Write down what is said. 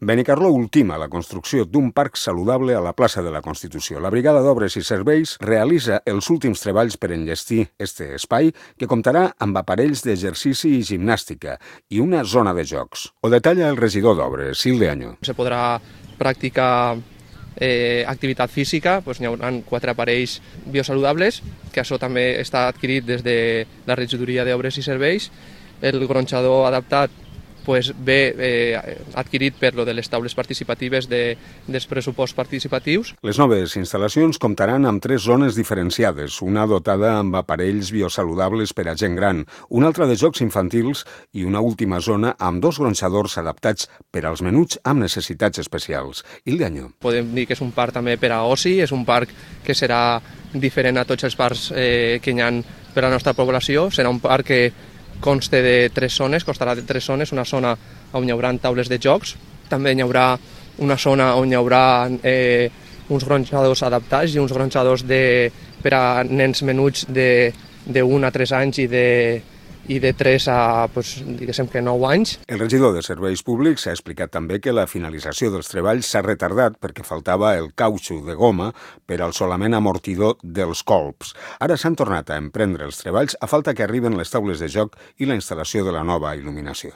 Benicarló ultima la construcció d'un parc saludable a la plaça de la Constitució. La Brigada d'Obres i Serveis realitza els últims treballs per enllestir este espai, que comptarà amb aparells d'exercici i gimnàstica i una zona de jocs. Ho detalla el regidor d'Obres, Silde Año. Se podrà practicar activitat física, doncs hi haurà 4 aparells biosaludables, que això també està adquirit des de la regidoria d'Obres i Serveis. El gronxador adaptat ve adquirit per lo de les taules participatives dels pressuposts participatius. Les noves instal·lacions comptaran amb 3 zones diferenciades, una dotada amb aparells biosaludables per a gent gran, una altra de jocs infantils i una última zona amb 2 gronxadors adaptats per als menuts amb necessitats especials. Ildeaño. Podem dir que és un parc també per a oci, és un parc que serà diferent a tots els parcs que hi ha per a la nostra població. Serà un parc que constarà de 3 zones, una zona on hi haurà taules de jocs, també hi haurà una zona on hi haurà uns gronxadors adaptats i uns gronxadors per a nens menuts de 1 a 3 anys i de 3 a, diguéssim que 9 anys. El regidor de Serveis Públics ha explicat també que la finalització dels treballs s'ha retardat perquè faltava el cautxú de goma per al solament amortidor dels colps. Ara s'han tornat a emprendre els treballs a falta que arriben les taules de joc i la instal·lació de la nova il·luminació.